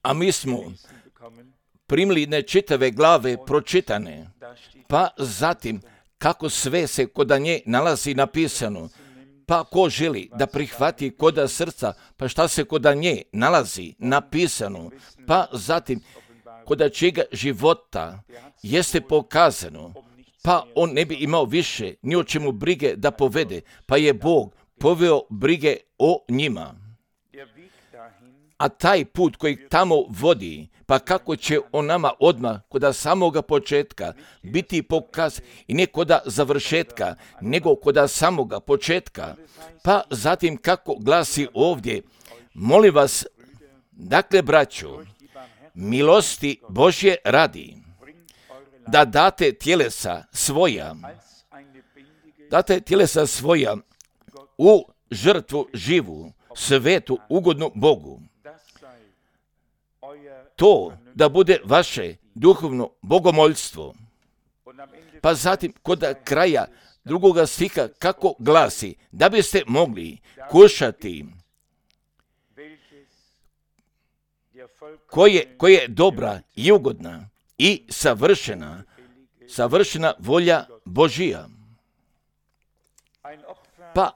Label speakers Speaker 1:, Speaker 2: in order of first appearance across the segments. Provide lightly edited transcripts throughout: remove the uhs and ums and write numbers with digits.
Speaker 1: A mi smo primili nečitave glave pročitane, pa zatim kako sve se koda nje nalazi napisano, pa ko želi da prihvati koda srca, pa šta se koda nje nalazi napisano, pa zatim koda čega života jeste pokazano, pa on ne bi imao više ni o čemu brige da povede, pa je Bog poveo brige o njima. A taj put koji tamo vodi, pa kako će on nama odmah koda samoga početka biti pokaz i ne koda završetka, nego koda samoga početka, pa zatim kako glasi ovdje, molim vas, dakle braćo, milosti Božje radi, da date tjelesa svoja u žrtvu živu, svetu, ugodnu Bogu. To da bude vaše duhovno bogomoljstvo. Pa zatim kod kraja drugoga stiha kako glasi, da biste mogli kušati koje je dobra i ugodna i savršena volja Božija. Pa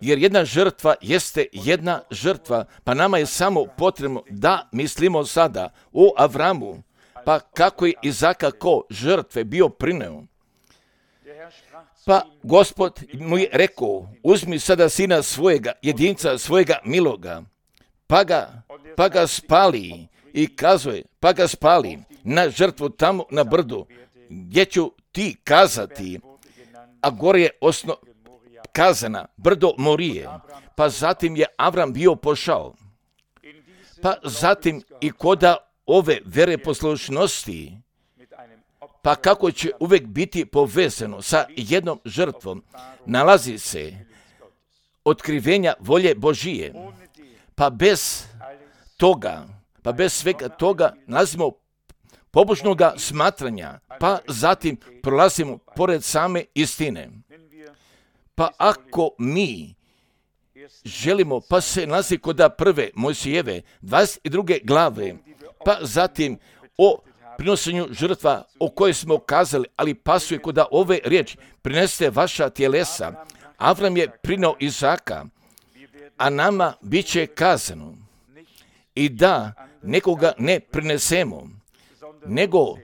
Speaker 1: jer jedna žrtva jeste jedna žrtva, pa nama je samo potrebno da mislimo sada o Avramu, pa kako je Izaka ko žrtve bio prineo. Pa Gospod mu je rekao, uzmi sada sina svojega, jedinca svojega miloga, pa ga spali i kazuje, pa ga spali na žrtvu tamo na brdu, gdje ću ti kazati, a gore je kazana brdo Morije, pa zatim je Avram bio pošao. Pa zatim i koda ove vere poslušnosti, pa kako će uvijek biti povezano sa jednom žrtvom, nalazi se otkrivenja volje Božije, pa bez svega toga nalazimo pobožnoga smatranja, pa zatim prolazimo pored same istine. Pa ako mi želimo, pa se nalazi koda prve Mojsijeve 22. glave, pa zatim o prinosenju žrtva o kojoj smo kazali, ali pasuje koda ove riječi, prinesite vaša tjelesa. Avram je prineo Izaka, a nama bit će kazano i da nekoga ne prinesemo,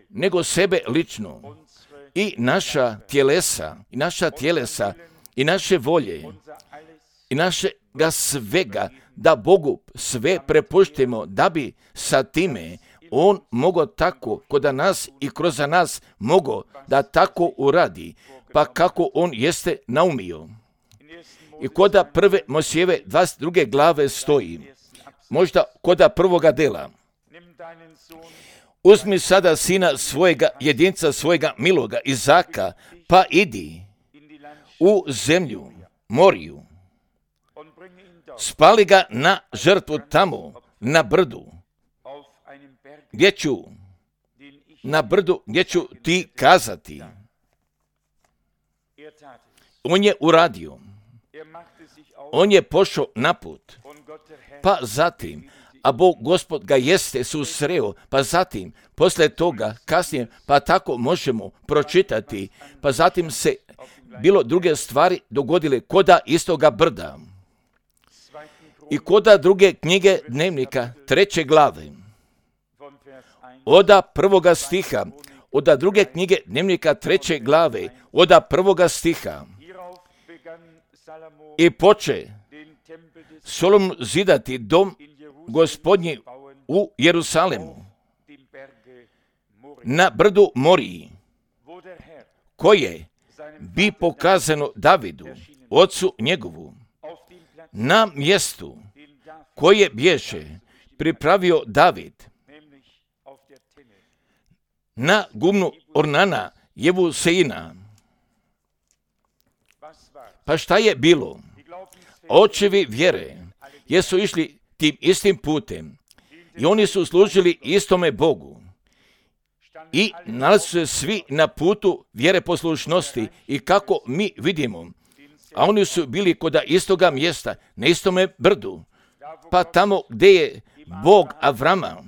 Speaker 1: nego sebe lično i naša tjelesa i naše volje i našega svega, da Bogu sve prepuštimo, da bi sa time on mogao tako koda nas i kroz nas mogao da tako uradi, pa kako on jeste naumio. I koda prve Mojsijeve 22. glave stoji, možda koda prvoga dela, uzmi sada sina svojega, jedinca svojega miloga, Izaka, pa idi u zemlju Moriju, spali ga na žrtvu tamo, na brdu, gdje ću ti kazati. On je uradio. On je pošao na put. Pa zatim, a Bog Gospod ga jeste susreo, pa zatim, poslije toga, kasnije, pa tako možemo pročitati, pa zatim se bilo druge stvari dogodile koda istoga brda. I koda druge knjige dnevnika, 3. glave, oda prvoga stiha, oda druge knjige dnevnika 3. glave, oda prvoga stiha. I poče Solomon zidati dom Gospodnji u Jerusalemu, na brdu Moriji, koje bi pokazano Davidu, ocu njegovu, na mjestu koje bješe pripravio David, na gumnu Ornana Jebusejina. Pa šta je bilo? Očevi vjere jesu išli tim istim putem i oni su služili istome Bogu i nalazi se svi na putu vjere poslušnosti i kako mi vidimo, a oni su bili koda istoga mjesta, na istome brdu, pa tamo gdje je Bog Avrama,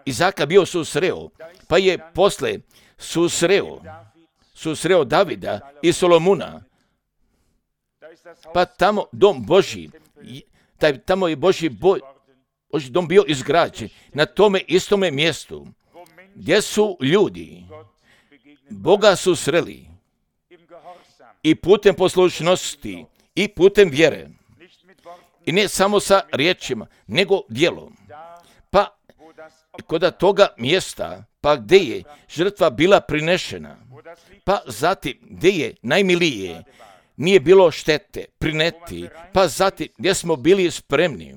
Speaker 1: Izaka bio susreo, pa je posle susreo Davida i Solomuna, pa tamo dom Božji, tamo je Božji dom bio izgrađen na tome istome mjestu, gdje su ljudi Boga susreli i putem poslušnosti i putem vjere. I ne samo sa riječima, nego djelom. Pa kod toga mjesta, pa gdje je žrtva bila prinešena, pa zatim gdje je najmilije, nije bilo štete prineti, pa zatim gdje smo bili spremni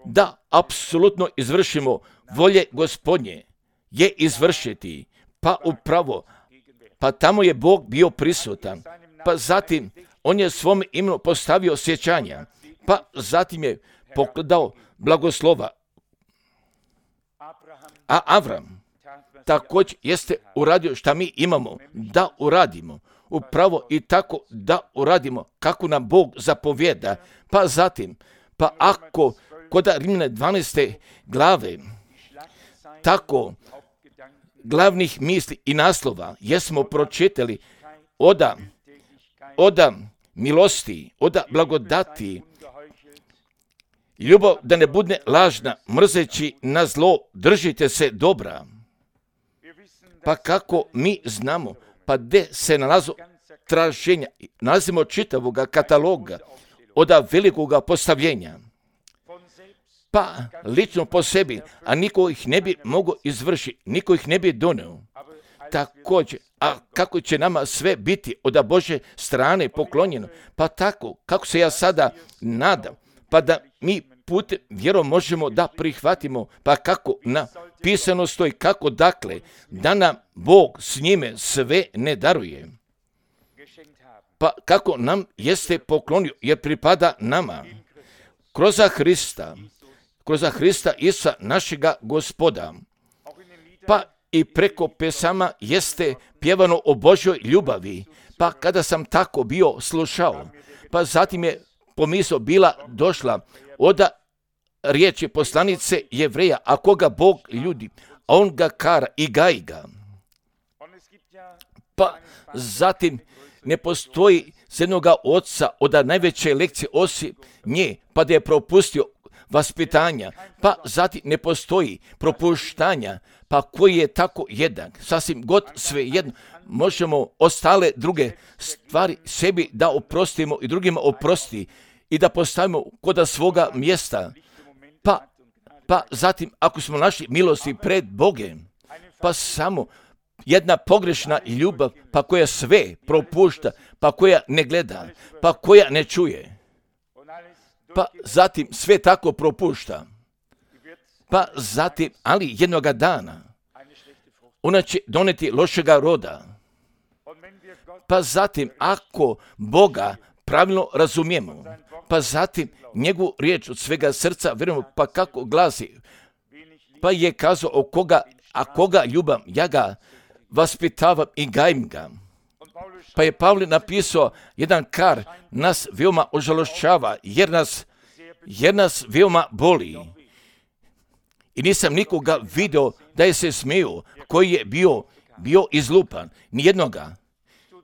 Speaker 1: da apsolutno izvršimo volje Gospodnje, je izvršiti, pa upravo, pa tamo je Bog bio prisutan, pa zatim on je svom imenu postavio sjećanja, pa zatim je pokladao blagoslova. A Avram također jeste uradio šta mi imamo da uradimo, upravo i tako da uradimo kako nam Bog zapovjeda, pa zatim, pa ako kod Rimljana 12. glave, tako glavnih misli i naslova jesmo pročitali oda milosti, oda blagodati, ljubav da ne bude lažna, mrzeći na zlo, držite se dobra. Pa kako mi znamo, pa gdje se nalazu traženja, nalazimo čitavoga kataloga oda velikoga postavljenja. Pa lično po sebi, a niko ih ne bi mogao izvršiti, niko ih ne bi doneo. Također, a kako će nama sve biti od Božje strane poklonjeno, pa tako, kako se ja sada nadam, pa da mi putem vjerom možemo da prihvatimo, pa kako napisano stoji, kako dakle, da nam Bog s njime sve ne daruje. Pa kako nam jeste poklonio, jer pripada nama, kroz Hrista Isusa našega Gospoda. Pa i preko pesama jeste pjevano o Božjoj ljubavi, pa kada sam tako bio slušao, pa zatim je pomisao bila došla od riječi poslanice Jevreja, a koga Bog ljudi, a on ga kara i gaji ga. Pa zatim ne postoji s jednoga oca od najveće lekcije osim nje, pa da je propustio vaspitanja, pa zatim ne postoji propuštanja, pa koji je tako jednak, sasvim god sve jedno, možemo ostale druge stvari sebi da oprostimo i drugima oprosti i da postavimo kod svoga mjesta, pa zatim ako smo našli milosti pred Bogem, pa samo jedna pogrešna ljubav, pa koja sve propušta, pa koja ne gleda, pa koja ne čuje, pa zatim sve tako propušta, pa zatim, ali jednoga dana, ona će doneti lošega roda. Pa zatim, ako Boga pravilno razumijemo, pa zatim njegovu riječ od svega srca vjerujemo, pa kako glasi, pa je kazao koga ljubam, ja ga vaspitavam i gajim ga. Pa je Pavle napisao jedan kar, nas veoma ožalošćava, jer nas veoma boli. I nisam nikoga video da je se smio, koji je bio izlupan, nijednoga,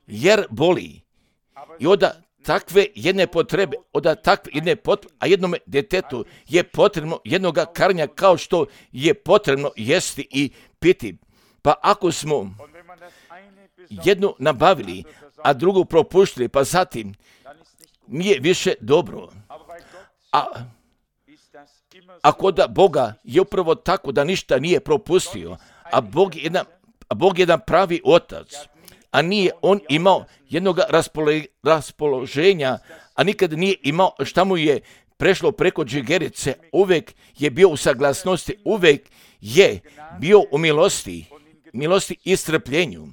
Speaker 1: jer boli. I od takve jedne potrebe, a jednome djetetu je potrebno jednoga karanja kao što je potrebno jesti i piti. Pa ako smo jednu nabavili, a drugu propuštili, pa zatim nije više dobro. A kod Boga je upravo tako da ništa nije propustio, a Bog je jedan pravi otac, a nije on imao jednog raspoloženja, a nikad nije imao šta mu je prešlo preko džigerice, uvijek je bio u saglasnosti, uvijek je bio u milosti i strpljenju.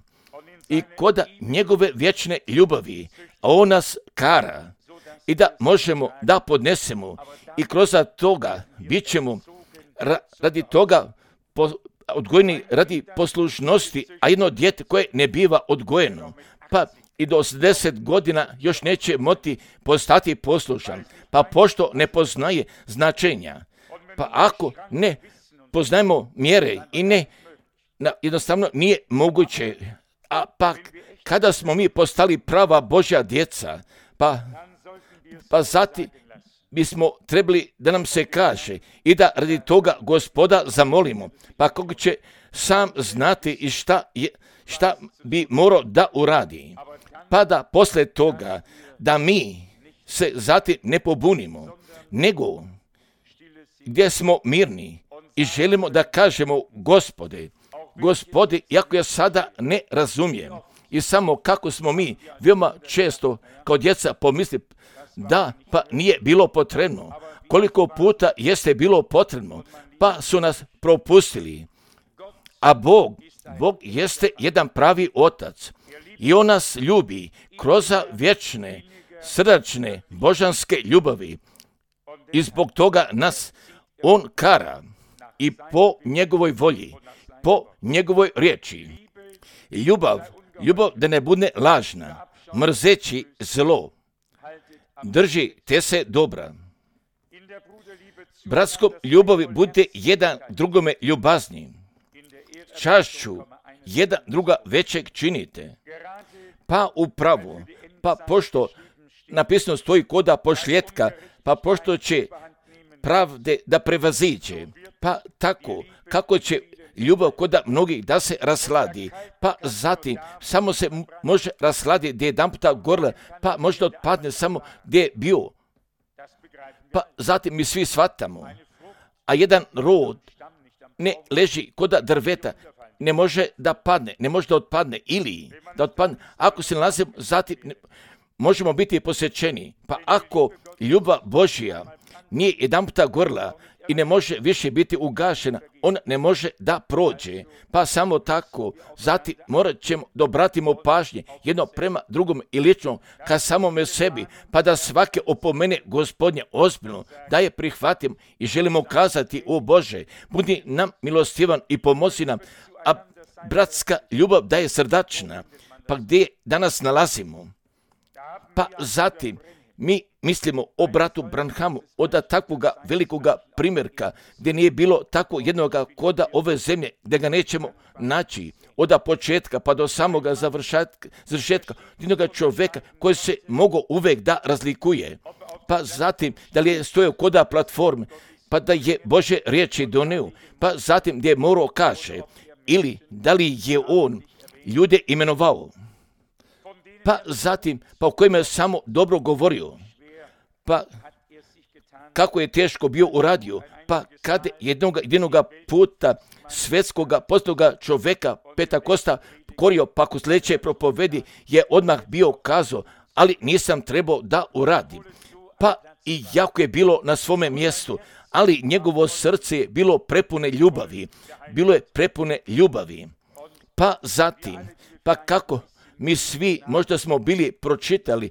Speaker 1: I kod njegove vječne ljubavi, a on nas kara i da možemo da podnesemo i kroz toga bit ćemo radi toga odgojeni radi poslušnosti, a jedno dijete koje ne biva odgojeno, pa i do 80 godina još neće moći postati poslušan, pa pošto ne poznaje značenja, pa ako ne poznajemo mjere i ne, jednostavno nije moguće, a pa kada smo mi postali prava Božja djeca, pa zatim bismo trebali da nam se kaže i da radi toga Gospoda zamolimo, pa kako će sam znati i šta bi morao da uradi, pa da posle toga da mi se zatim ne pobunimo, nego gdje smo mirni i želimo da kažemo Gospode, iako ja sada ne razumijem i samo kako smo mi veoma često kao djeca pomisli da pa nije bilo potrebno, koliko puta jeste bilo potrebno, pa su nas propustili, a Bog jeste jedan pravi otac i on nas ljubi kroz vječne, srdačne, božanske ljubavi i zbog toga nas on kara i po njegovoj volji, po njegovoj riječi. Ljubav da ne bude lažna, mrzeći zlo, drži te se dobra. Bratskom ljubavi bude jedan drugome ljubazni, čašću jedan druga većeg činite, pa upravo, pa pošto napisano stoji koda pošljetka, pa pošto će pravde da prevaziđe, pa tako kako će ljubav koda mnogih da se rasladi, pa zatim samo se može rasladiti gdje je jedan puta gorla, pa možda otpadne samo gdje je bio. Pa zatim mi svi shvatamo, a jedan rod ne leži koda drveta, ne može da padne, ne može da otpadne ili da otpadne. Ako se nalazimo, zatim možemo biti posjećeni. Pa ako ljubav Božja nije jedan puta gorla i ne može više biti ugašena, on ne može da prođe. Pa samo tako, zatim morat ćemo da obratimo pažnje jedno prema drugom i lično ka samome sebi, pa da svake opomene Gospodnje ozbiljno, da je prihvatim i želimo kazati, o Bože, budi nam milostivan i pomozi nam, a bratska ljubav da je srdačna, pa gdje danas nalazimo? Pa zatim mi mislimo o bratu Branhamu, od takvoga velikoga primjerka, gdje nije bilo tako jednoga koda ove zemlje, gdje ga nećemo naći od početka pa do samoga završetka, jednoga čovjeka koji se mogao uvijek da razlikuje. Pa zatim, da li je stojao koda platforme, pa da je Bože riječi donio, pa zatim gdje je morao kaže, ili da li je on ljude imenovao, pa zatim, pa o kojima je samo dobro govorio, pa kako je teško bio uradio, pa kada jednoga puta svetskoga postoga čovjeka Pentakosta korio, pa ako sljedeće propovedi je odmah bio kazao, ali nisam trebao da uradim. Pa i jako je bilo na svome mjestu, ali njegovo srce je bilo prepune ljubavi. Pa zatim, pa kako mi svi možda smo bili pročitali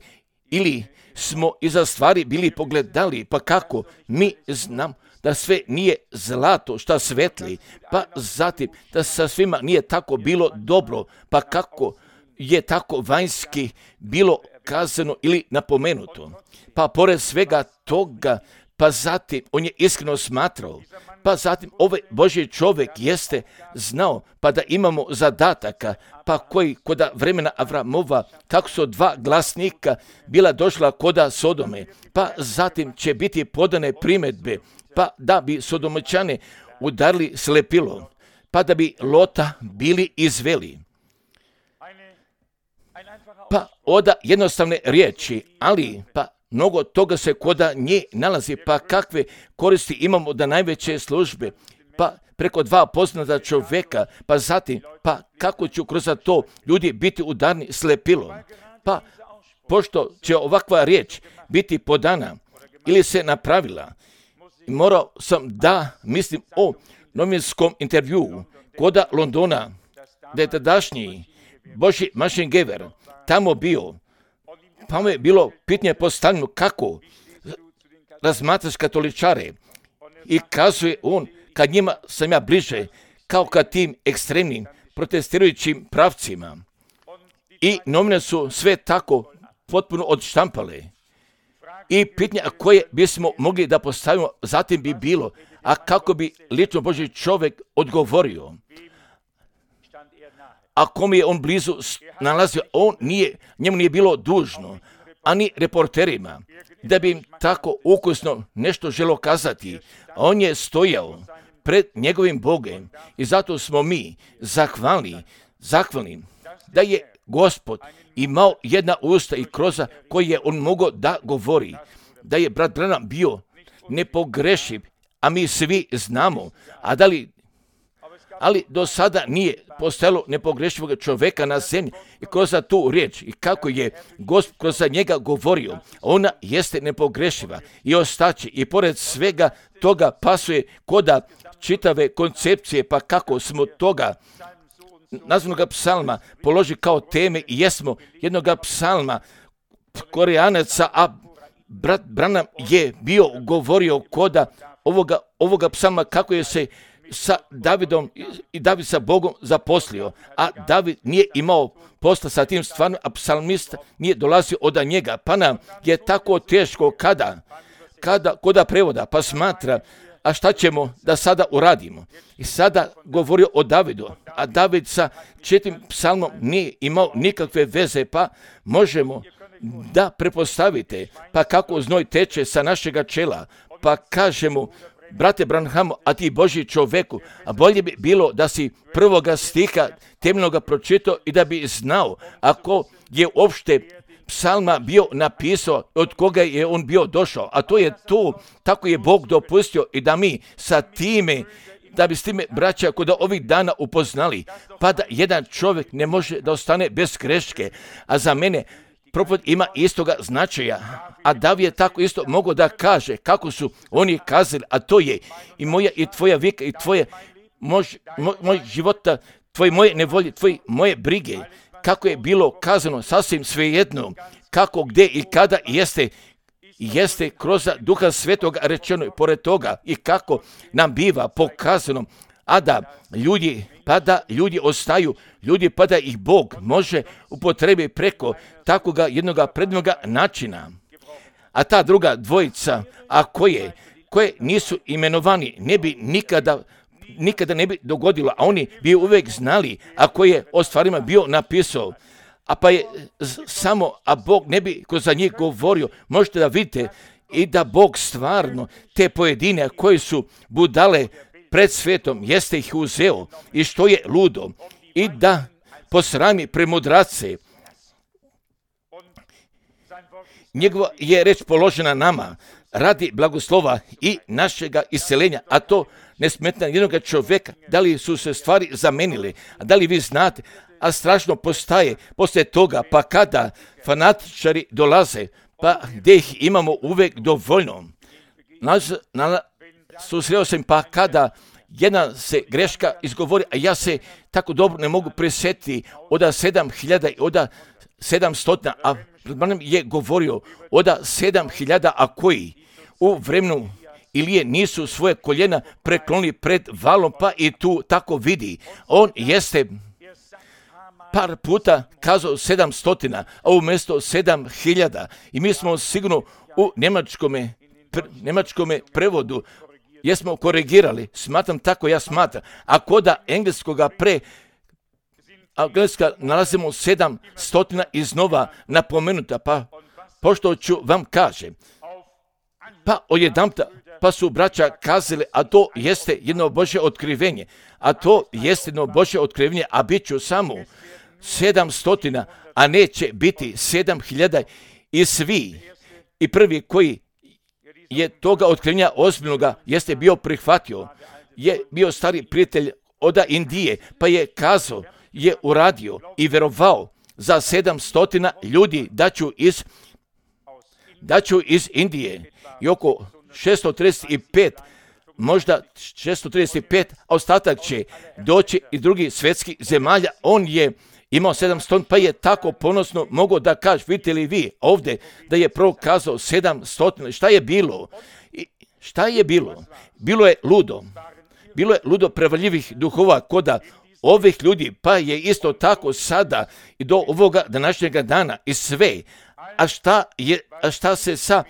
Speaker 1: ili smo iza stvari bili pogledali, pa kako mi znam da sve nije zlato šta svetli, pa zatim da sa svima nije tako bilo dobro, pa kako je tako vanjski bilo kazano ili napomenuto. Pa pored svega toga, pa zatim on je iskreno smatrao, pa zatim ovaj Božji čovjek jeste znao, pa da imamo zadataka, pa koji koda vremena Avramova, kako su dva glasnika bila došla koda Sodome, pa zatim će biti podane primjedbe, pa da bi Sodomačane udarili slepilo, pa da bi Lota bili izveli. Pa oda jednostavne riječi, ali pa mnogo toga se koda nje nalazi, pa kakve koristi imamo da najveće službe, pa preko dva poznata čovjeka, pa zatim, pa kako ću kroz to ljudi biti udarni slepilo. Pa pošto će ovakva riječ biti podana ili se napravila, morao sam da mislim o novinskom intervjuu koda Londona, da je tadašnji Božji Mašingever tamo bio, pa mu je bilo pitanje postavljeno kako razmatraš katoličare i kazuje on, kad njima sam ja bliže, kao ka tim ekstremnim protestirajućim pravcima. i novine su sve tako potpuno odštampale. I pitanje koje bismo mogli da postavimo, zatim bi bilo, a kako bi lično Božji čovjek odgovorio? A kom je on blizu nalazio, njemu nije bilo dužno, ani reporterima, da bi im tako ukusno nešto želo kazati. On je stojao pred njegovim Bogom i zato smo mi zahvalni da je Gospod imao jedna usta i kroz koje je on mogao da govori, da je brat Branham bio nepogrešiv, a mi svi znamo, ali do sada nije postojalo nepogrešivog čovjeka na zemlji i kroz tu riječ i kako je Gospod kroz njega govorio, ona jeste nepogrešiva i ostaće i pored svega toga pasuje koda čitave koncepcije, pa kako smo toga nazvanog psalma položi kao teme i jesmo jednog psalma Koreanaca, a brat Branham je bio govorio koda ovoga psalma kako je se sa Davidom i David sa Bogom zaposlio, a David nije imao posla sa tim stvarno, a psalmist nije dolazio od njega, pa nam je tako teško koda prevoda, pa smatra, a šta ćemo da sada uradimo? I sada govorio o Davidu, a David sa 4 psalmom nije imao nikakve veze, pa možemo da prepostavite, pa kako znoj teče sa našega čela, pa kažemo, brate Branhamu, a ti Božji čoveku, a bolje bi bilo da si prvoga stiha temeljnoga pročitao i da bi znao ako je uopšte psalma bio napisao, od koga je on bio došao, a to je to, tako je Bog dopustio i da mi sa time, da bi s time braća kod ovih dana upoznali, pa da jedan čovjek ne može da ostane bez greške, a za mene propoved ima istoga značaja, a David je tako isto mogao da kaže kako su oni kazali, a to je i moja i tvoja vika i tvoje moj života, tvoje moje nevolje, tvoje moje brige, kako je bilo kazano sasvim svejedno, kako, gdje i kada jeste kroz Duha Svetoga rečeno i pored toga i kako nam biva pokazano, a da ljudi ostaju, pa da ih Bog može upotrebiti preko takvoga jednoga prednoga načina. A ta druga dvojica, a koje nisu imenovani, ne bi nikada ne bi dogodilo, a oni bi uvijek znali, a koje je o stvarima bio napisao, a pa je samo, a Bog ne bi kroz njih govorio. Možete da vidite i da Bog stvarno te pojedine koji su budale pred svetom, jeste ih uzeo i što je ludo i da posrami premudrace. Njegova je reč položena nama radi blagoslova i našega isceljenja, a to ne smetna jednog čovjeka. Da li su se stvari zamenile, a da li vi znate, a strašno postaje poslije toga, pa kada fanatičari dolaze, pa gdje ih imamo uvijek dovoljno. Susreo sam, pa kada jedna se greška izgovori, a ja se tako dobro ne mogu prisjetiti od 7.000 i od 700, a Branham je govorio od 7.000, a koji u vremenu Ilije nisu svoje koljena preklonili pred valom, pa i tu tako vidi. On jeste par puta kazao 700, a umjesto 7.000. I mi smo sigurno u njemačkome prevodu jesmo korigirali, smatram tako, ja smatram. A koda engleskoga engleska nalazimo 700 iznova napomenuta, pa pošto ću vam kažem, pa odjedanputa, pa su braća kazali, a to jeste jedno Božje otkrivenje, a bit ću samo 700, a neće biti 7.000 i svi. I prvi koji je toga otkrivenja ozbiljnoga jeste bio prihvatio, je bio stari prijatelj od Indije, pa je kazao, je uradio i vjerovao za 700 ljudi da ću iz Indije i oko 635, možda 635, a ostatak će doći iz drugih svjetskih zemalja. On je imao 700, pa je tako ponosno mogao da kaže, vidite li vi ovdje da je prvo kazao 700, šta je bilo? Bilo je ludo prevaljivih duhova koda ovih ljudi, pa je isto tako sada i do ovoga današnjega dana i sve. A šta se sa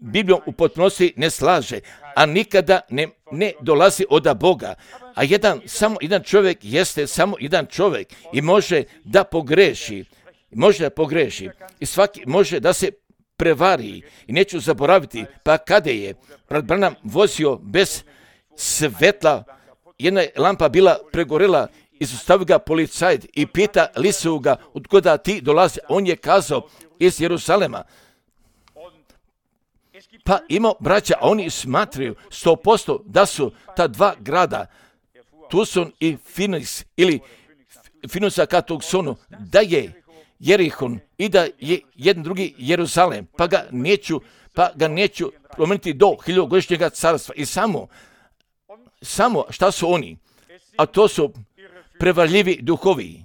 Speaker 1: Biblijom u potpunosti ne slaže, a nikada ne dolazi od Boga. A samo jedan čovjek jeste samo jedan čovjek i može da pogreši. I svaki može da se prevari. I neću zaboraviti, pa kada je brat Branham vozio bez svetla, jedna je lampa bila pregorela, izustavio ga policajac i pita li su ga od kuda ti dolazi. On je kazao iz Jeruzalema. Pa ima braća, a oni smatraju 100% da su ta dva grada, Tucson i Phoenix, ili Phoenixa ka Tucsonu, da je Jerihon i da je jedan drugi Jeruzalem, pa ga neću promijeniti do 1000-godišnjega carstva. I samo šta su oni? A to su prevarljivi duhovi.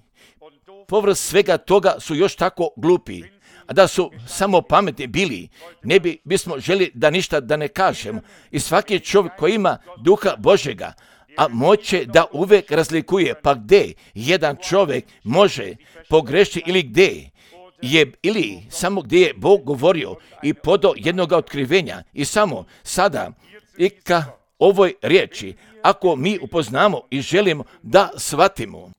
Speaker 1: Povrh svega toga su još tako glupi. A da su samo pametni bili, ne bismo želi da ništa da ne kažemo. I svaki čovjek koji ima duha Božjega, a moće da uvijek razlikuje, pa gdje jedan čovjek može pogrešiti ili samo gdje je Bog govorio i podao jednog otkrivenja. I samo sada i ka ovoj riječi, ako mi upoznamo i želimo da shvatimo,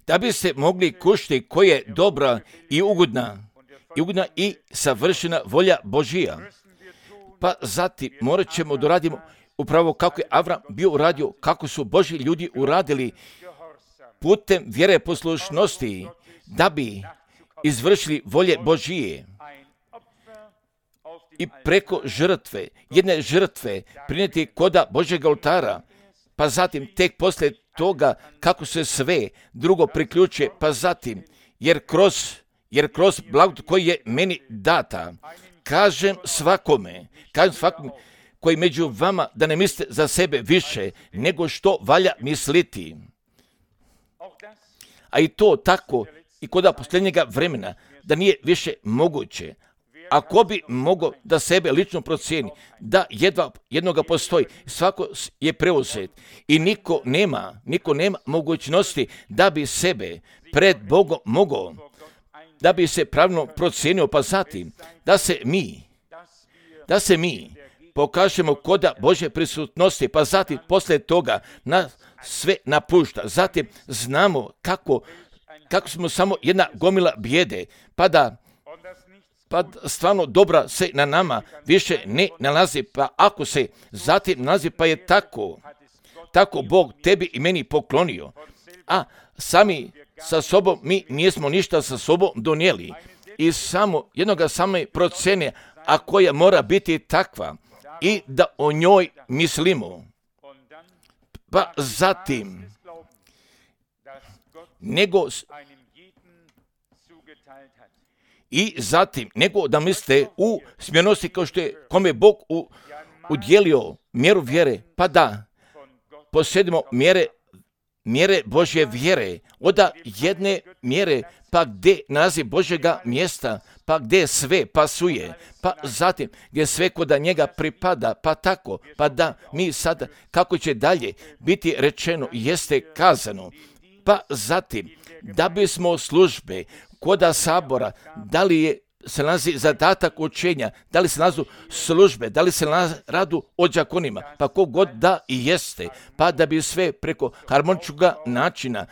Speaker 1: da bi se mogli kušti koja je dobra i ugodna i savršena volja Božija. Pa zatim morat ćemo da radimo upravo kako je Avram bio uradio, kako su Božji ljudi uradili putem vjere poslušnosti, da bi izvršili volje Božije. I preko jedne žrtve prinijeti koda Božjeg oltara, pa zatim tek poslije toga kako se sve drugo priključuje, pa zatim, jer kroz blagodat koji je meni data, kažem svakome koji među vama da ne misle za sebe više nego što valja misliti. A i to tako i kod posljednjega vremena, da nije više moguće. Ako bi mogao da sebe lično procijeni, da jednoga postoji, svako je preuzet i niko nema mogućnosti da bi sebe pred Bogom mogao, da bi se pravilno procijenio, pa zatim da se mi pokažemo koda Božje prisutnosti, pa zatim poslije toga nas sve napušta. Zatim znamo kako smo samo jedna gomila bijede, pa stvarno dobra se na nama više ne nalazi, pa ako se zatim nalazi, pa je tako Bog tebi i meni poklonio. A sami sa sobom mi nismo ništa sa sobom donijeli i samo jednoga same procene, a koja mora biti takva i da o njoj mislimo. Pa zatim nego da mislite u smjernosti kao što je kome Bog udjelio mjeru vjere, pa da posjedimo mjere Božje vjere, od jedne mjere, pa gdje nalazi Božjega mjesta, pa gdje sve pasuje, pa zatim gdje sve kod njega pripada, pa tako, pa da mi sada, kako će dalje biti rečeno, jeste kazano, pa zatim da bismo službe koda sabora, da li se nalazi zadatak učenja, da li se nalazu službe, da li se radu o đakonima, pa kogod da i jeste, pa da bi sve preko harmoničnog načina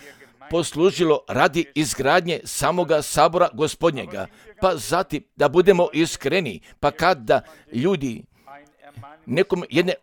Speaker 1: poslužilo radi izgradnje samoga sabora Gospodnjega, pa zatim da budemo iskreni, pa kada ljudi nekom jedne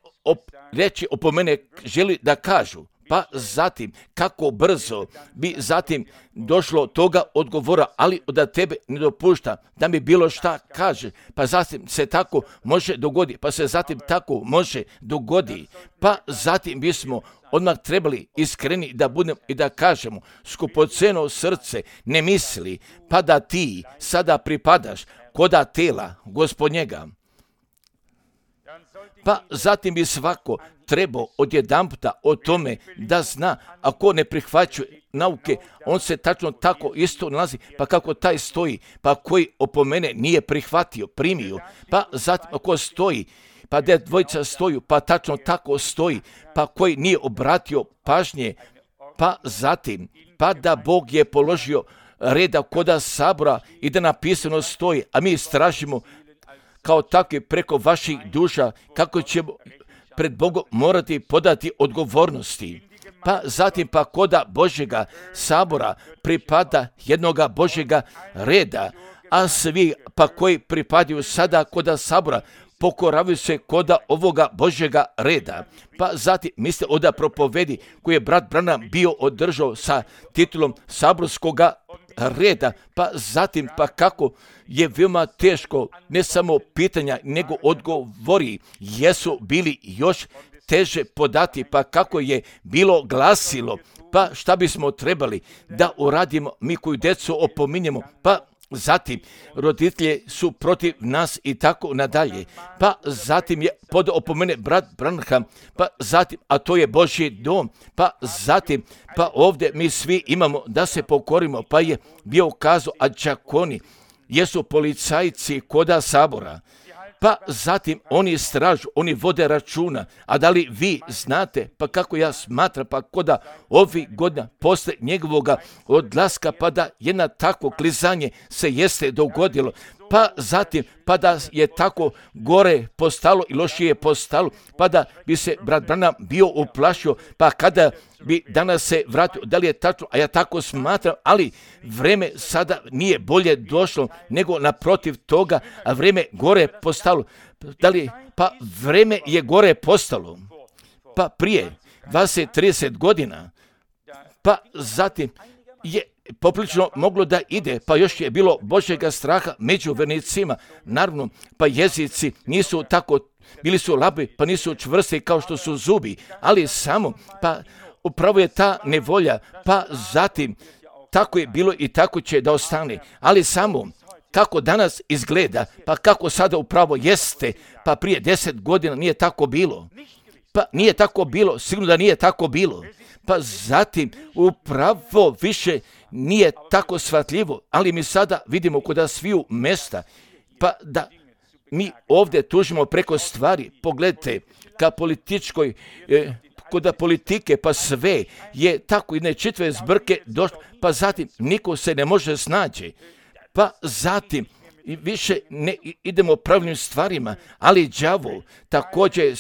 Speaker 1: reći opomene želi da kažu, pa zatim kako brzo bi zatim došlo toga odgovora, ali da tebe ne dopušta da mi bilo šta kaže, pa zatim se tako može dogodi, pa se zatim tako može dogodi, pa zatim bismo odmah trebali iskreni da budemo i da kažemo, skupoceno srce ne misli, pa da ti sada pripadaš koda tela Gospodnjega. Pa zatim bi svako trebao odjedanputa o tome da zna, ako ne prihvaćuje nauke, on se tačno tako isto nalazi, pa kako taj stoji, pa koji opomene nije prihvatio, primio, pa zatim ako stoji, pa dvojica stoju, pa tačno tako stoji, pa koji nije obratio pažnje pa zatim, pa da Bog je položio reda koda sabora i da napisano stoji, a mi istražimo kao takvi preko vaših duša kako ćemo pred Bogom morati podati odgovornosti. Pa zatim pa koda Božjega sabora pripada jednoga Božjega reda, a svi pa koji pripadaju sada koda sabora pokoravaju se koda ovoga Božjega reda. Pa zatim mislite oda propovedi koji je brat Branham bio održao sa titulom saborskoga reda, pa zatim pa kako je veoma teško ne samo pitanja nego odgovori jesu bili još teže podati, pa kako je bilo glasilo, pa šta bismo trebali da uradimo mi koju djecu opominjemo, pa zatim roditelji su protiv nas i tako nadalje, pa zatim je pod opomene brat Branham, pa zatim, a to je Božji dom, pa zatim, pa ovdje mi svi imamo da se pokorimo, pa je bio kazao, a đakoni jesu policajci koda sabora, pa zatim oni stražu, oni vode računa, a da li vi znate, pa kako ja smatram, pa koda ovih godina posle njegovoga odlaska, pa da jedna takvo klizanje se jeste dogodilo, pa zatim, pa da je tako gore postalo i lošije postalo, pa da bi se brat Branham bio uplašio, pa kada bi danas se vratio, da li je tačno, a ja tako smatram, ali vreme sada nije bolje došlo, nego naprotiv toga, a vreme gore postalo. Da li, pa vreme je gore postalo, pa prije 20-30 godina, pa zatim je poprilično moglo da ide, pa još je bilo Božjega straha među vernicima, naravno, pa jezici nisu tako, bili su labi, pa nisu čvrsti kao što su zubi, ali samo, pa upravo je ta nevolja, pa zatim, tako je bilo i tako će da ostane, ali samo, kako danas izgleda, pa kako sada upravo jeste, pa prije 10 godina nije tako bilo, pa nije tako bilo, sigurno da nije tako bilo, pa zatim upravo više nije tako shvatljivo, ali mi sada vidimo kod sviju mesta, pa da mi ovdje tužimo preko stvari, pogledajte, ka političkoj, kod politike, pa sve je tako jedne čitve zbrke došlo, pa zatim niko se ne može snaći, pa zatim i više ne idemo pravilnim stvarima, ali đavo također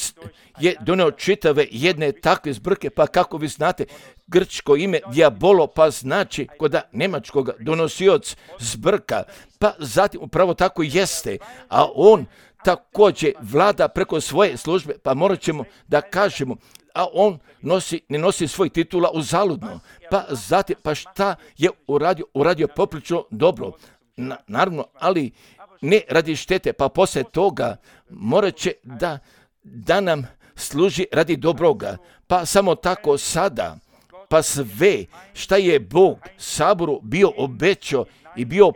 Speaker 1: je doneo čitave jedne takve zbrke, pa kako vi znate, grčko ime diabolo, pa znači kod nemačkog donosioc zbrka, pa zatim upravo tako jeste, a on također vlada preko svoje službe, pa morat ćemo da kažemo, a on ne nosi svoj titula uzaludno, pa zatim, pa šta je uradio poprilično dobro, naravno, ali ne radi štete, pa poslije toga morat će da nam služi radi dobroga, pa samo tako sada, pa sve šta je Bog saboru bio obećao i bio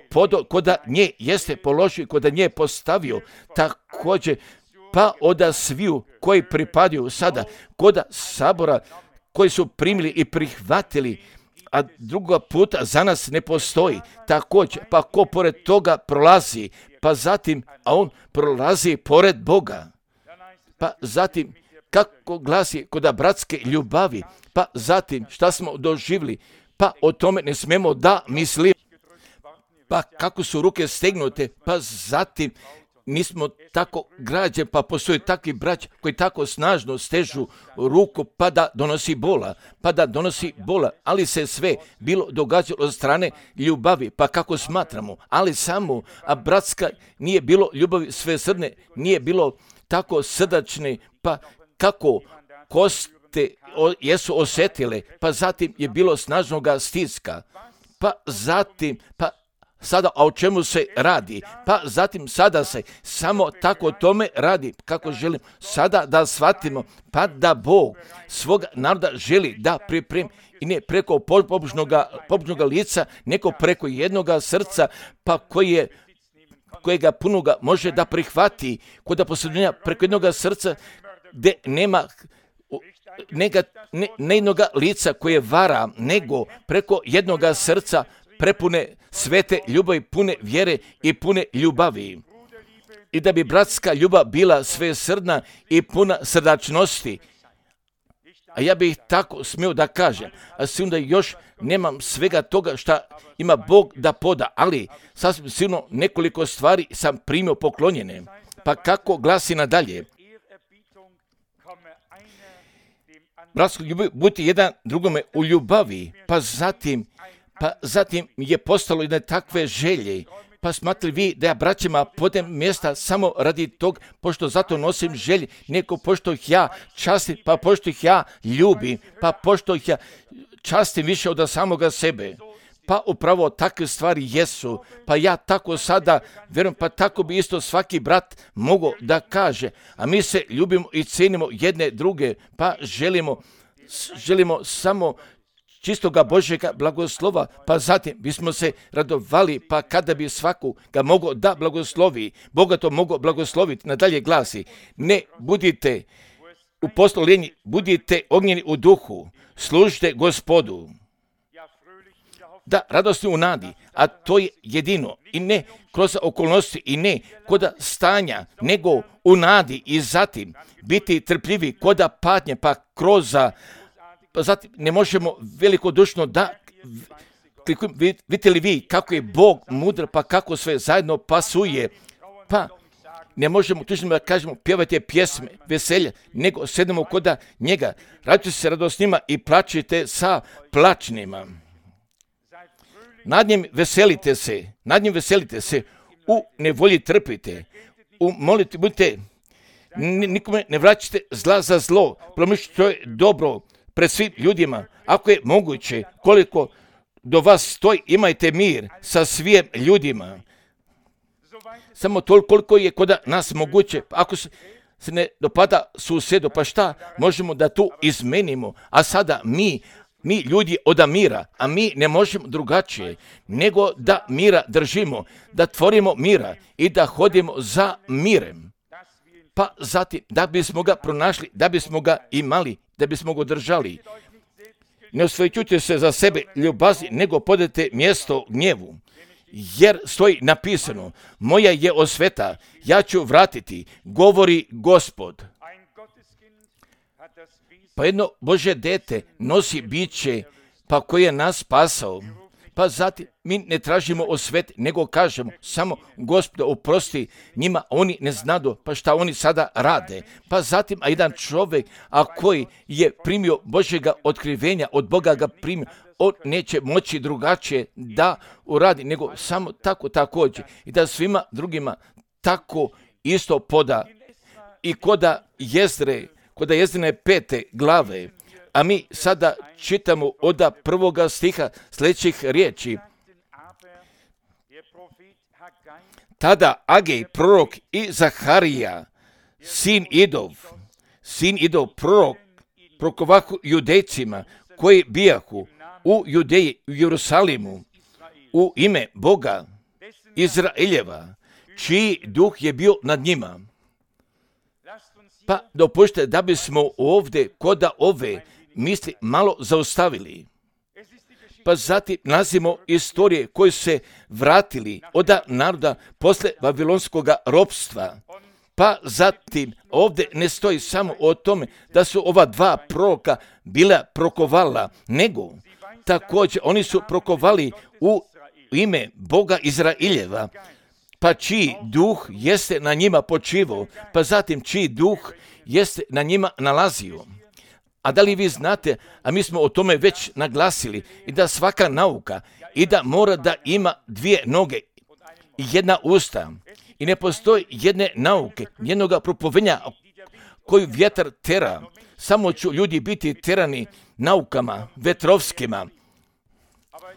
Speaker 1: koda nje jeste položio, koda nje postavio, također pa oda sviju koji pripadaju sada koda sabora, koji su primili i prihvatili, a druga puta za nas ne postoji. Također, pa ko pored toga prolazi, pa zatim, a on prolazi pored Boga. Pa zatim, kako glasi kod bratske ljubavi, pa zatim, šta smo doživjeli, pa o tome ne smemo da mislimo. Pa kako su ruke stegnute, pa zatim, nismo tako građeni, pa postoji takvi braći koji tako snažno stežu ruku pa da donosi bola, ali se sve bilo događalo od strane ljubavi, pa kako smatramo, ali samo, a bratska nije bilo ljubavi svesrdne, nije bilo tako srdačne, pa kako koste jesu osjetile, pa zatim je bilo snažnoga stiska, pa zatim, pa sada, a o čemu se radi? Pa zatim sada se samo tako tome radi, kako želim sada da shvatimo, pa da Bog svoga naroda želi da pripremi i ne preko pobožnoga lica, nego preko jednoga srca, pa kojega punoga može da prihvati, kod posljednja preko jednoga srca gdje nema ne jednoga lica koje vara, nego preko jednoga srca prepune svete ljubavi, pune vjere i pune ljubavi. I da bi bratska ljubav bila svesrdna i puna srdačnosti. a ja bih tako smio da kažem, a sigurno da još nemam svega toga što ima Bog da poda, ali sasvim sigurno nekoliko stvari sam primio poklonjene. Pa kako glasi nadalje? Bratsko, budite jedan drugome u ljubavi, pa zatim je postalo jedne takve želje. Pa smatrali vi da ja braćima podem mjesta samo radi tog, pošto zato nosim želje, nego pošto ih ja častim, pa pošto ih ja ljubim, pa pošto ih ja častim više od samoga sebe. Pa upravo takve stvari jesu, pa ja tako sada vjerujem, pa tako bi isto svaki brat mogao da kaže, a mi se ljubimo i cenimo jedne druge, pa želimo samo čistoga Božjega blagoslova, pa zatim bismo se radovali, pa kada bi svakoga mogao da blagoslovi, Boga to mogao blagosloviti. Nadalje glasi, ne budite u poslolenji, budite ognjeni u duhu, služite Gospodu. Da, radosni u nadi, a to je jedino, i ne kroz okolnosti, i ne koda stanja, nego u nadi, i zatim biti trpljivi koda patnje, pa pa zatim ne možemo velikodušno da vidite li vi kako je Bog mudar, pa kako sve zajedno pasuje, pa ne možemo tužno da kažemo pjevajte pjesme veselja, nego sedemo koda njega, radite se radosnima i plačite sa plačnima. Nad njim veselite se, u nevolji trpite, u moliti budite, nikome ne vraćate zla za zlo, promišljate što je dobro pred svim ljudima, ako je moguće, koliko do vas stoji, imajte mir sa svim ljudima. Samo toliko koliko je kod nas moguće, ako se ne dopada susjedu, pa šta možemo da tu izmenimo, a sada mi ljudi od mira, a mi ne možemo drugačije, nego da mira držimo, da tvorimo mira i da hodimo za mirem. Pa zatim, da bismo ga pronašli, da bismo ga imali, da bismo ga držali. Ne osvećujte se za sebe ljubazni, nego podajte mjesto gnjevu. Jer stoji napisano, moja je osveta, ja ću vratiti, govori Gospod. Pa jedno Božje dete nosi biće, pa koje je nas spasao. Pa zatim mi ne tražimo osvet, nego kažemo samo Gospod oprosti njima, oni ne znadu, pa šta oni sada rade. Pa zatim, a jedan čovjek, a koji je primio Božjega otkrivenja, od Boga ga primio, on neće moći drugačije da uradi, nego samo tako također. I da svima drugima tako isto poda. I koda Jezdrine 5. glave, a mi sada čitamo od 1. stiha sljedećih riječi. Tada Agej, prorok, i Zaharija, sin Idov, prorok, prokovahu judejcima koji bijahu u Judeji, u Jerusalimu, u ime Boga Izraeljeva, čiji duh je bio nad njima. Pa dopušte da bismo ovdje koda ove misli malo zaustavili. Pa zatim nalazimo istorije koje se vratili od naroda posle Vavilonskog ropstva. Pa zatim ovdje ne stoji samo o tome da su ova dva proroka bila prokovala, nego također oni su prokovali u ime Boga Izraeljeva, pa čiji duh jeste na njima počivao, pa zatim čiji duh jeste na njima nalazio. A da li vi znate, a mi smo o tome već naglasili, i da svaka nauka, i da mora da ima 2 noge i 1 usta, i ne postoji jedne nauke, jednoga propovenja koju vjetar tera, samo će ljudi biti terani naukama vetrovskima.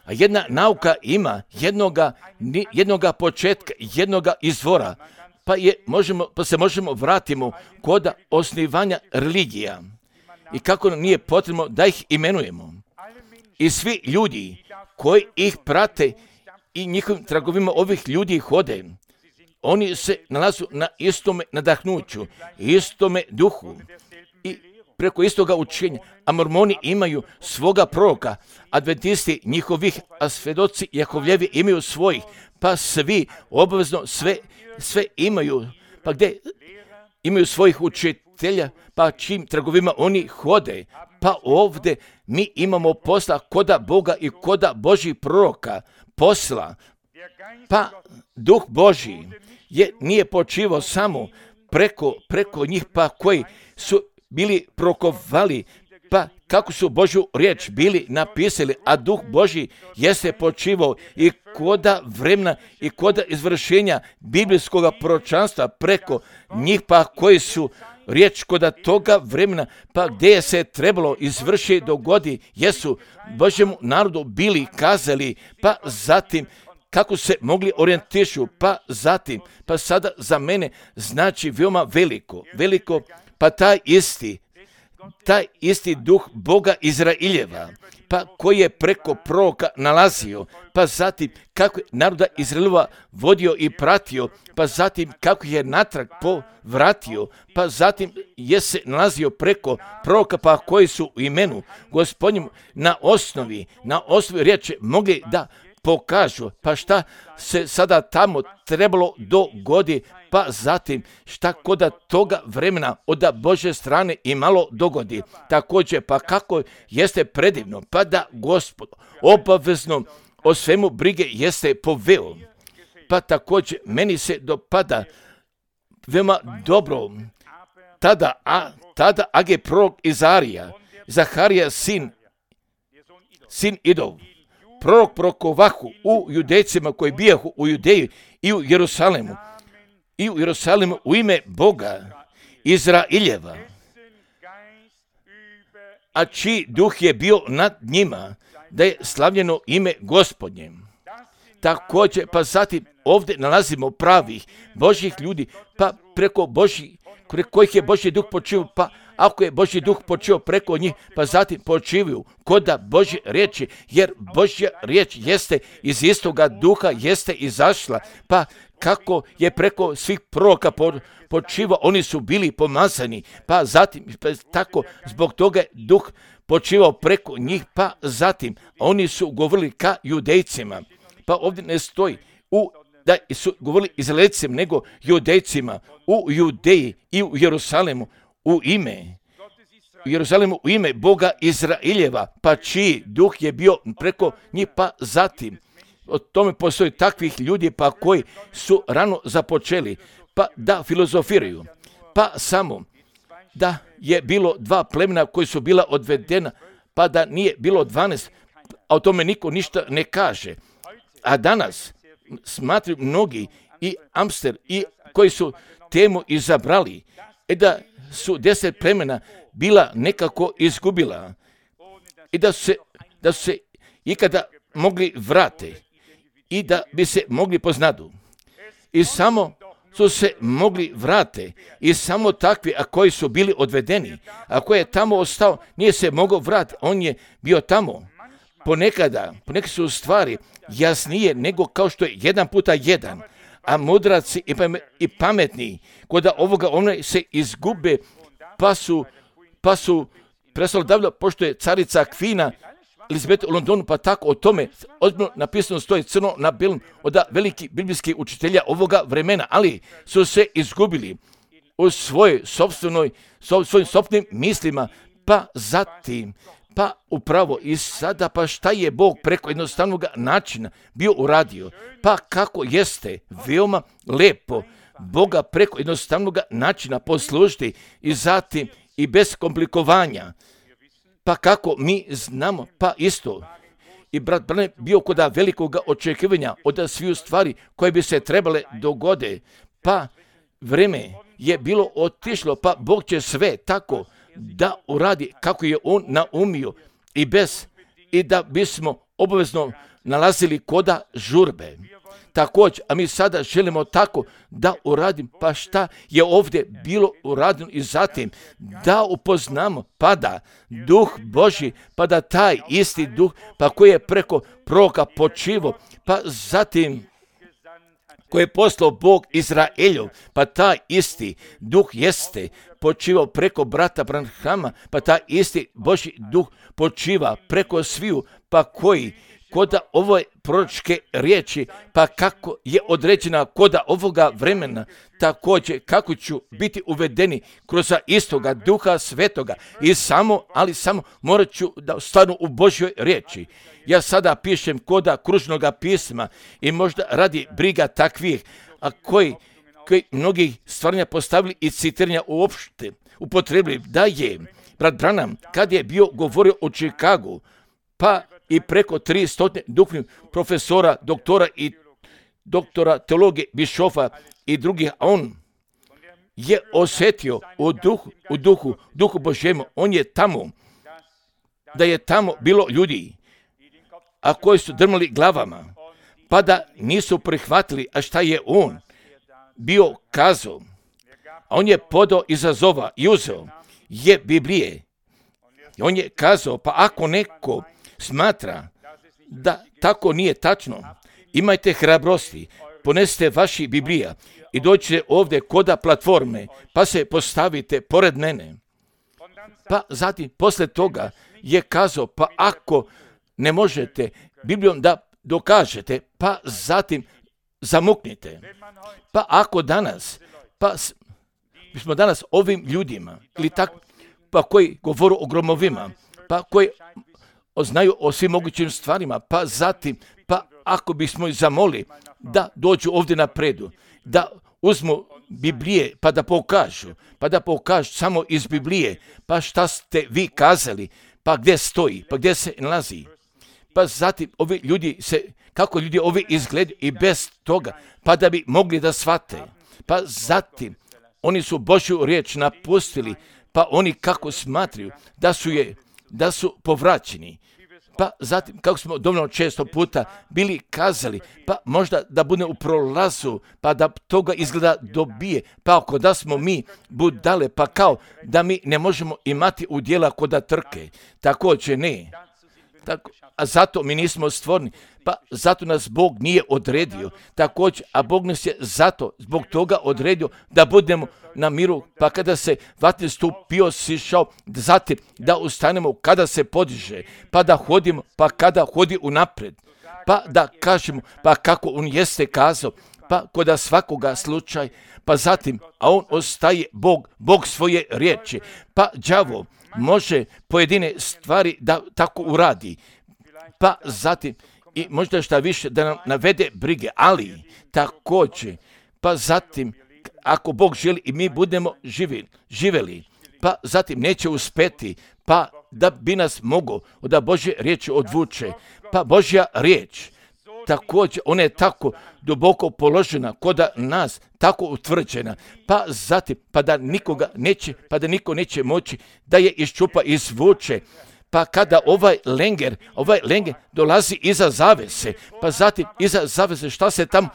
Speaker 1: A jedna nauka ima jednoga početka, jednoga izvora, pa se možemo vratimo kod osnivanja religija. I kako nam nije potrebno da ih imenujemo. I svi ljudi koji ih prate i njihovim tragovima ovih ljudi hode, oni se nalazu na istome nadahnuću, istome duhu i preko istoga učenja. A mormoni imaju svoga proroka, adventisti njihovih, a svedoci Jakovljevi imaju svojih, pa svi obavezno sve imaju. Pa gdje imaju svojih učitelja, pa čim trgovima oni hode. Pa ovdje mi imamo posla koda Boga i koda Božih proroka posla. Pa Duh Božji nije počivao samo preko njih, pa koji su bili prorokovali, pa kako su Božju riječ bili napisali, a Duh Božji jeste počivao i koda vremena i koda izvršenja biblijskog proročanstva preko njih, pa koji su riječ koda toga vremena, pa gdje je se trebalo izvršiti dogodi, jesu Božjemu narodu bili kazali, pa zatim kako se mogli orijentišu, pa zatim, pa sada za mene znači veoma veliko, pa taj isti Duh Boga Izraeljeva, pa koji je preko proroka nalazio, pa zatim kako je naroda Izraeljeva vodio i pratio, pa zatim kako je natrag povratio, pa zatim je se nalazio preko proroka, pa koji su u imenu Gospodnjem na osnovi riječi mogli da pokažu, pa šta se sada tamo trebalo dogodi, pa zatim šta koda toga vremena od Božje strane i malo dogodi. Također, pa kako jeste predivno, pa da Gospod obavezno o svemu brige jeste poveo. Pa također meni se dopada veoma dobro tada age prorok Zaharija sin Idov, prorok prorokovahu u Judejcima koji bijahu u Judeji i u Jerusalimu u ime Boga Izraeljeva, a čiji duh je bio nad njima, da je slavljeno ime Gospodnje. Također, pa zatim ovdje nalazimo pravih Božjih ljudi, pa preko kojih je Božji duh počivao, pa ako je Božji duh počeo preko njih, pa zatim počivaju koda Božje riječi, jer Božja riječ jeste iz istoga duha, jeste izašla, pa kako je preko svih proroka počivao, oni su bili pomazani, pa zatim tako zbog toga je duh počivao preko njih, pa zatim oni su govorili ka Judejcima, pa ovdje ne stoji da su govorili Izraelcima, nego Judejcima u Judeji i u Jerusalimu u ime Boga Izraeljeva, pa čiji duh je bio preko njih, pa zatim o tome postoji takvih ljudi, pa koji su rano započeli, pa da filozofiraju, pa samo da je bilo 2 plemena koji su bila odvedena, pa da nije bilo 12, a o tome niko ništa ne kaže. A danas smatraju mnogi i Amster i koji su temu izabrali, da su 10 plemena bila nekako izgubila i da su se ikada mogli vrate i da bi se mogli poznadu. I samo su se mogli vrate i samo takvi, a koji su bili odvedeni, a koji je tamo ostao, nije se mogao vratiti, on je bio tamo. Ponekad su stvari jasnije nego kao što je 1x1, a mudraci i pametni kod ovoga se izgube, pa su prestali davljati, pošto je carica Kvina Elizabeta u Londonu, pa tako o tome ozbiljno napisano stoji crno na belom od velikih biblijskih učitelja ovoga vremena, ali su se izgubili u svojim sopstvenim mislima, pa zatim, pa upravo i sada, pa šta je Bog preko jednostavnog načina bio uradio, pa kako jeste veoma lepo Boga preko jednostavnog načina poslužiti i zatim i bez komplikovanja. Pa kako mi znamo, pa isto i brat Branham bio kod velikog očekivanja od svih stvari koje bi se trebale dogode, pa vreme je bilo otišlo, pa Bog će sve tako da uradi kako je on naumio i da bismo obavezno nalazili koda žurbe. Također, a mi sada želimo tako da uradim, pa šta je ovdje bilo uradeno i zatim da upoznamo, pa da Duh Božji, pa da taj isti Duh, pa koji je preko proroka počivao, pa zatim koji je poslao Bog Izraeljov, pa taj isti Duh jeste počivao preko brata Branhama, pa taj isti Božji Duh počiva preko sviju, pa koda ove proročke riječi, pa kako je određena koda ovoga vremena, također kako ću biti uvedeni kroz istoga Duha Svetoga i samo morat ću da stanu u Božjoj riječi. Ja sada pišem koda kružnoga pisma i možda radi briga takvih, a koji mnogi stvaranja postavili i citiranja uopšte upotrebili, da je brat Branham, kad je bio govorio o Čikagu, pa i preko 300 duhovnih profesora, doktora i doktora teologije, bišofa i drugih, a on je osjetio u duhu Božjemu, on je tamo, da je tamo bilo ljudi, a koji su drmali glavama, pa da nisu prihvatili, a šta je on bio kazao. A on je podao izazova i uzeo je Biblije. I on je kazao, pa ako neko smatra da tako nije tačno, imajte hrabrosti, ponesite vaši Biblija i dođite ovdje koda platforme, pa se postavite pored mene. Pa zatim, posle toga je kazao, pa ako ne možete Biblijom da dokažete, pa zatim zamuknite. Pa ako danas, mi smo danas ovim ljudima, ili tako, pa koji govoru o gromovima, pa koji znaju o svim mogućim stvarima, pa zatim, pa ako bismo ih zamoli da dođu ovdje napredu, da uzmu Biblije, pa da pokažu samo iz Biblije, pa šta ste vi kazali, pa gdje stoji, pa gdje se nalazi. Pa zatim ovi ljudi kako ljudi ovi izgledaju i bez toga, pa da bi mogli da shvate. Pa zatim oni su Božju riječ napustili, pa oni kako smatraju da su povraćeni. Pa zatim, kako smo dovoljno često puta bili kazali, pa možda da bude u prolazu, pa da toga izgleda dobije, pa ako da smo mi budale, pa kao da mi ne možemo imati udjela koda trke, također ne. A zato mi nismo stvorni, pa zato nas Bog nije odredio, također, a Bog nas je zbog toga odredio da budemo na miru, pa kada se vatni stup bio sišao, zatim da ustanemo kada se podiže, pa da hodimo, pa kada hodi unapred, pa da kažemo, pa kako on jeste kazao, pa koda svakoga slučaj, pa zatim, a on ostaje Bog svoje riječi, pa đavo može pojedine stvari da tako uradi, pa zatim i možda šta više da nam navede brige, ali također, pa zatim ako Bog želi i mi budemo živjeli, pa zatim neće uspeti, pa da bi nas mogao da Božje riječi odvuče, pa Božja riječ također, ona je tako duboko položena koda nas, tako utvrđena, pa zatim, pa da niko neće moći da je iščupa, izvuče, pa kada ovaj lenger dolazi iza zavese, pa zatim iza zavese, šta se tamo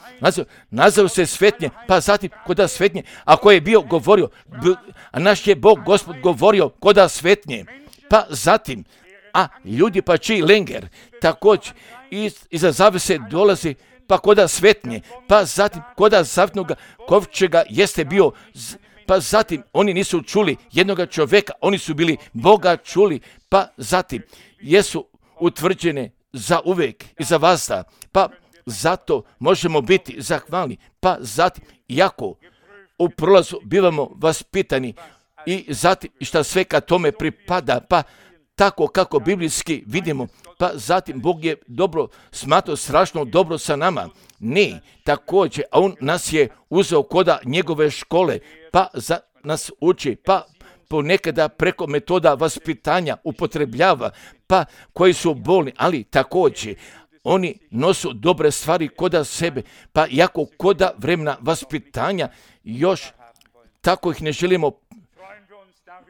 Speaker 1: nazvao se svetnje, pa zatim koda svetnje, a ko je bio govorio, a naš je Bog, Gospod govorio koda svetnje, pa zatim, a ljudi pa čiji lenger, također iza zavese dolazi, pa koda svetnje, pa zatim koda zavetnoga kovčega jeste bio, pa zatim oni nisu čuli jednoga čovjeka, oni su bili Boga čuli, pa zatim jesu utvrđene za uvijek i za vazda, pa zato možemo biti zahvalni, pa zatim iako u prolazu bivamo vaspitani i zatim šta sve kad tome pripada, pa tako kako biblijski vidimo, pa zatim Bog je dobro smatrao, strašno dobro sa nama. Ne, također, a on nas je uzeo koda njegove škole, pa nas uči, pa ponekada preko metoda vaspitanja upotrebljava, pa koji su bolni, ali također oni nosu dobre stvari koda sebe, pa jako koda vremena vaspitanja još tako ih ne želimo.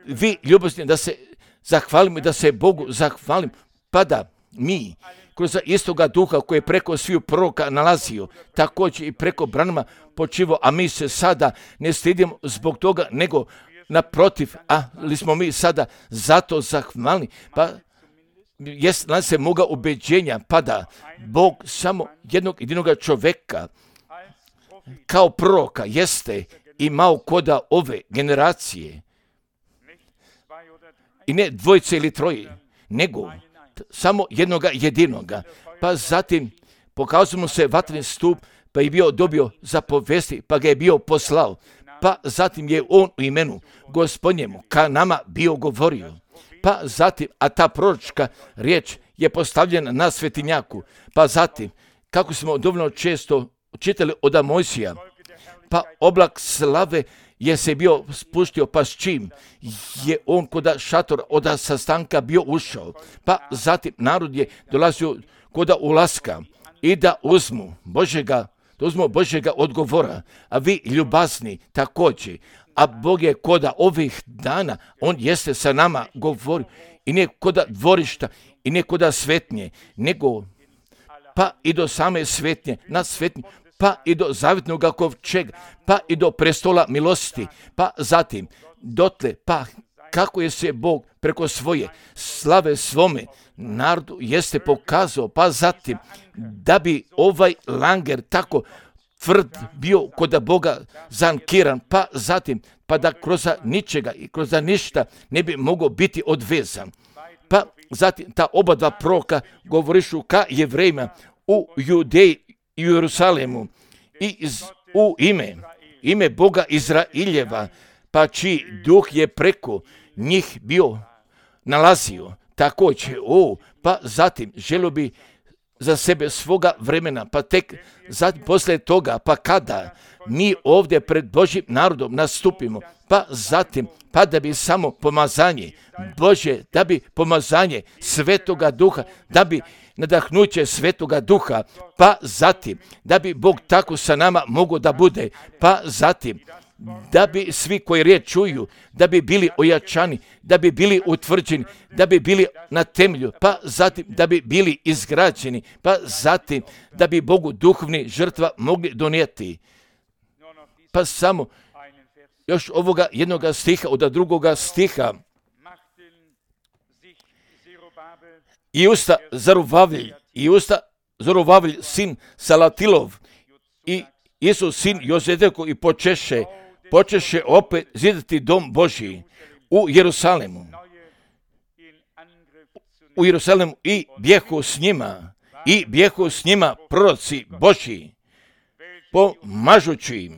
Speaker 1: Vi ljubazni da se zahvalimo i da se Bogu zahvalim, pa da mi kroz istoga duha koji je preko sviju proroka nalazio, također i preko Branhama počivo, a mi se sada ne stidimo zbog toga, nego naprotiv, ali smo mi sada zato zahvalni, pa nam se moga ubeđenja, pa da Bog samo jednog jedinoga čoveka kao proroka jeste imao koda ove generacije. I ne dvojice ili troje, nego samo jednoga jedinoga. Pa zatim pokazao mu se vatreni stup, pa je bio dobio zapovesti, pa ga je bio poslao. Pa zatim je on u imenu Gospodnjemu ka nama bio govorio. Pa zatim, a ta proročka riječ je postavljena na svetinjaku. Pa zatim, kako smo dovoljno često čitali od Mojsija, pa oblak slave je se bio spuštio, pa s čim je on koda šatora od sastanka bio ušao. Pa zatim narod je dolazio koda ulaska i da uzmu Božjega odgovora, a vi ljubazni također. A Bog je koda ovih dana, on jeste sa nama govorio i ne koda dvorišta i ne koda svetnje, nego pa i do same svetnje, na svetnje, pa i do zavjetnog kovčega, pa i do prestola milosti, pa zatim dotle, pa kako je se Bog preko svoje slave svome narodu jeste pokazao, pa zatim da bi ovaj langer tako tvrd bio kod Boga zankiran, pa zatim pa da kroz ničega i kroz ništa ne bi mogao biti odvezan. Pa zatim ta oba dva proroka govorišu ka Jevrejima u Judeji i u Jerusalemu i u ime Boga Izraeljeva, pa čiji duh je preko njih bio nalazio. Također, pa zatim želio bi za sebe svoga vremena, pa tek zatim poslije toga, pa kada mi ovdje pred Božjim narodom nastupimo, pa zatim, pa da bi samo pomazanje Božje, da bi pomazanje Svetoga Duha, da bi nadahnuće Svetoga Duha, pa zatim, da bi Bog tako sa nama mogao da bude, pa zatim, da bi svi koji riječ čuju, da bi bili ojačani, da bi bili utvrđeni, da bi bili na temelju, pa zatim da bi bili izgrađeni, pa zatim da bi Bogu duhovni žrtva mogli donijeti. Pa samo još ovoga jednoga stiha od drugoga stiha. I usta Zorobavlj sin Salatilov i Isus sin Jozedeko i počeše opet zidati dom Božji u Jerusalemu i bjehu s njima proroci Božji pomažući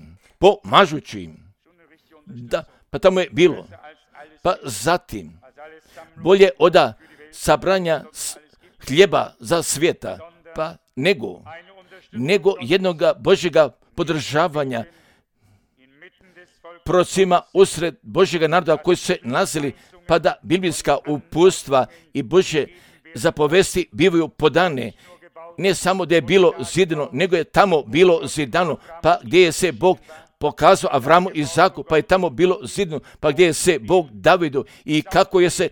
Speaker 1: im. Da, pa tamo je bilo. Pa zatim, bolje oda sabranja hljeba za svijeta, pa nego jednoga Božjega podržavanja prorocima usred Božjega naroda koji su se nalazili, pa da biblijska uputstva i Božje zapovesti bivaju podane. Ne samo da je bilo zidano, nego je tamo bilo zidano, pa gdje je se Bog pokazao Avramu i Izaku, pa je tamo bilo zidano, pa gdje je se Bog Davidu i kako je se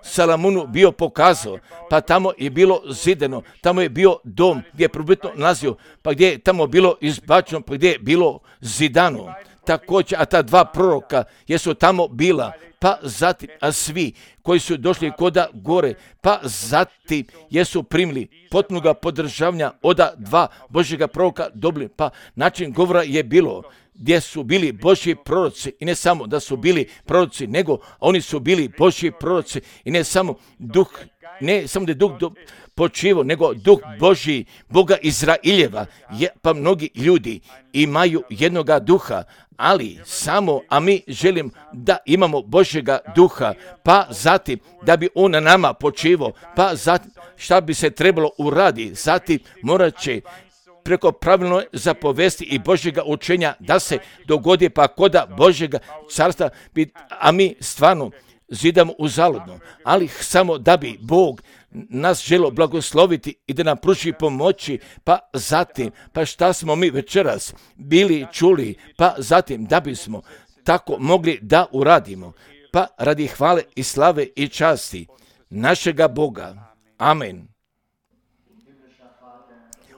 Speaker 1: Salamunu bio pokazao, pa tamo je bilo zidano, tamo je bio dom gdje je probitno nalazio, pa gdje je tamo bilo izbačeno, pa gdje je bilo zidano. Također, a ta dva proroka jesu tamo bila, pa zatim, a svi koji su došli koda gore, pa zatim jesu primili potpunoga podržavanja od dva Božjega proroka dobili, pa način govora je bilo gdje su bili Božji proroci i ne samo da su bili proroci, nego oni su bili Božji proroci i ne samo da je duh počivo, nego duh Božji, Boga Izraeljeva, pa mnogi ljudi imaju jednoga duha, ali samo, a mi želim da imamo Božjega duha, pa zatim da bi on na nama počivao, pa zatim šta bi se trebalo uraditi, zatim morat će preko pravilno zapovesti i Božjega učenja da se dogodi, pa koda Božjega carstva, a mi stvarno zidamo uzaludno, ali samo da bi Bog nas želio blagosloviti i da nam pruži pomoći, pa zatim, pa šta smo mi večeras bili čuli, pa zatim da bismo tako mogli da uradimo, pa radi hvale i slave i časti našega Boga. Amen.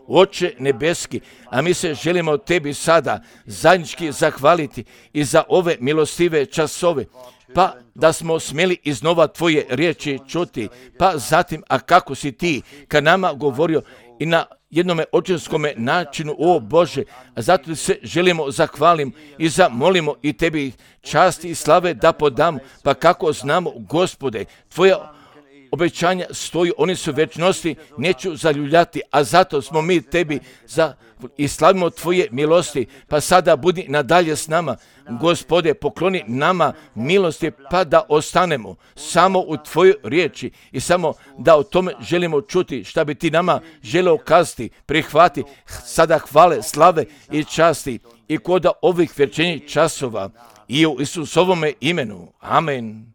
Speaker 1: Oče nebeski, a mi se želimo tebi sada zajednički zahvaliti i za ove milostive časove, pa da smo smjeli iznova tvoje riječi čuti, pa zatim, a kako si ti ka nama govorio i na jednome očinskome načinu, o Bože, a zato se želimo zahvalim i zamolimo i tebi časti i slave da podamo, pa kako znamo, Gospode, tvoja obećanja stoji, oni su večnosti, neću zaljuljati, a zato smo mi tebi i slavimo tvoje milosti, pa sada budi nadalje s nama. Gospode, pokloni nama milosti, pa da ostanemo samo u tvojoj riječi i samo da o tome želimo čuti šta bi ti nama želeo kazati. Prihvati sada hvale, slave i časti i kod ovih večernjih časova i u Isusovome imenu. Amen.